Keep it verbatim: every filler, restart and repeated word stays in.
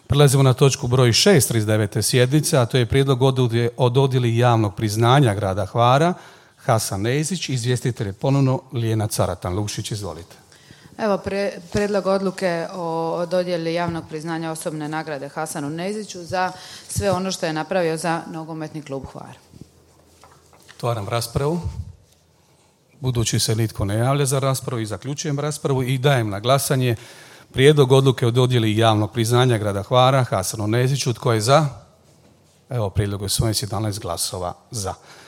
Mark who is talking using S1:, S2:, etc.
S1: Prelazimo na točku broj šest trideset devete sjednice, a to je prijedlog o dodjeli javnog priznanja grada Hvara. Hasan Nezić, izvjestitelj je ponovno Lijena Caratan. Lukšić, izvolite.
S2: Evo, pre, predlog odluke o dodjeli javnog priznanja osobne nagrade Hasanu Neziću za sve ono što je napravio za nogometni klub Hvar.
S1: Otvaram raspravu. Budući se nitko ne javlja za raspravu, i zaključujem raspravu i dajem na glasanje prijedlog odluke o dodjeli javnog priznanja grada Hvara Hasanu Neziću. Tko je za? Evo, prijedlog je usvojen, jedanaest glasova za.